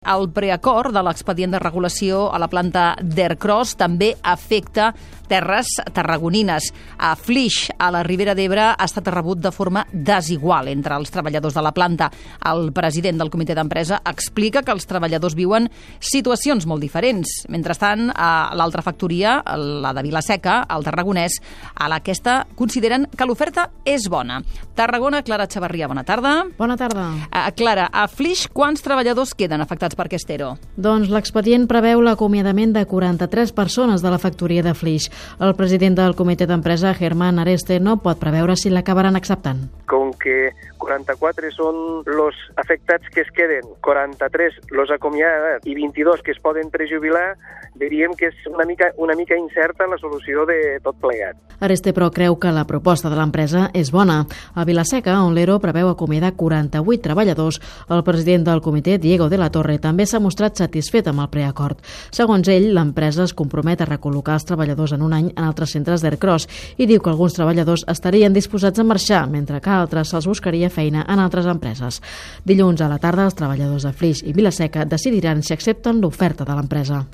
El preacord de l'expedient de regulació a la planta d'Ercros també afecta terres tarragonines. A Flix, a la Ribera d'Ebre, ha estat rebut de forma desigual entre els treballadors de la planta. El president del comitè d'empresa explica que els treballadors viuen situacions molt diferents. Mentrestant, a l'altra factoria, la de Vila-seca, al Tarragonès, a aquesta consideren que l'oferta és bona. Tarragona, Clara Chavarria, bona tarda. Bona tarda. Clara, a Flix, quants treballadors queden afectats per aquest ERO? Doncs l'expedient preveu l'acomiadament de 43 persones de la factoria de Flix. El president del comitè d'empresa, Germán Areste, no pot preveure si l'acabaran acceptant. Com que 44 són els afectats que es queden, 43 los acomiadats i 22 que es poden prejubilar, diríem que és una mica incerta la solució de tot plegat. Areste, però, creu que la proposta de l'empresa és bona. A Vila-seca, on l'ERO preveu acomiadar 48 treballadors, el president del comitè, Diego de la Torre, també s'ha mostrat satisfet amb el preacord. Segons ell, l'empresa es compromet a recol·locar els treballadors en un any en altres centres d'Ercros i diu que alguns treballadors estarien disposats a marxar, mentre que a altres se'ls buscaria feina en altres empreses. Dilluns a la tarda, els treballadors de Flix i Vila-seca decidiran si accepten l'oferta de l'empresa.